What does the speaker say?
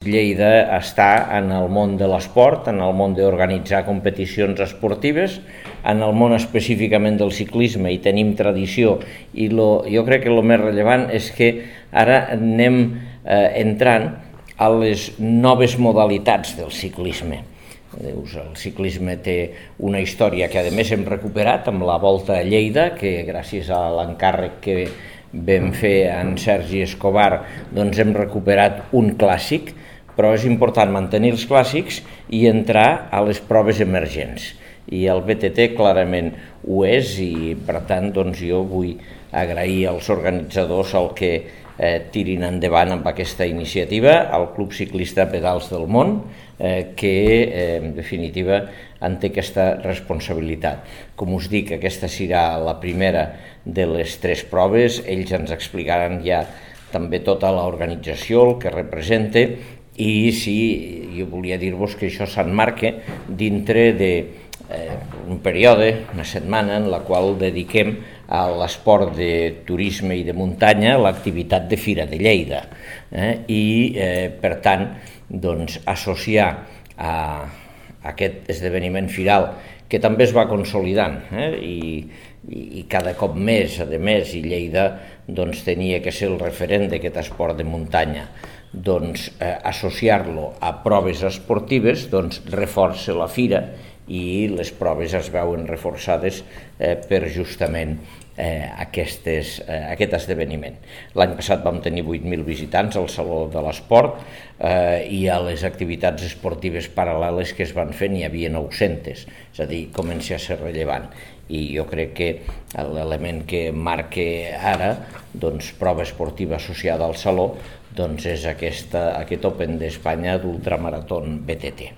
Lleida està en el món de l'esport, en el món d'organitzar competicions esportives, en el món específicament del ciclisme, i tenim tradició, i jo crec que el més rellevant és que ara anem entrant a les noves modalitats del ciclisme. El ciclisme té una història que a més hem recuperat amb la Volta a Lleida, que gràcies a l'encàrrec que vam fer en Sergi Escobar doncs hem recuperat un clàssic, però és important mantenir els clàssics i entrar a les proves emergents. I el BTT clarament ho és, i per tant doncs jo vull agrair als organitzadors el que tirin endavant amb aquesta iniciativa, al Club Ciclista Pedals del Món, que en definitiva en té aquesta responsabilitat. Com us dic, aquesta serà la primera de les 3 proves, ells ens explicaran ja també tota l'organització, el que representa, i sí, jo volia dir-vos que això s'emmarca dintre d'un període, una setmana, en la qual dediquem a l'esport de turisme i de muntanya l'activitat de Fira de Lleida. I, per tant, doncs, associar a aquest esdeveniment firal, que també es va consolidant, i cada cop més, a més, i Lleida doncs, tenia que ser el referent d'aquest esport de muntanya, doncs associar-lo a proves esportives doncs reforça la fira, i les proves es veuen reforçades per justament aquest esdeveniment. L'any passat vam tenir 8.000 visitants al Saló de l'Esport, i a les activitats esportives paral·leles que es van fer n'hi havia 900, és a dir, comença a ser rellevant. I jo crec que l'element que marca ara, doncs, prova esportiva associada al Saló, doncs és aquest Open d'Espanya d'Ultramarató BTT.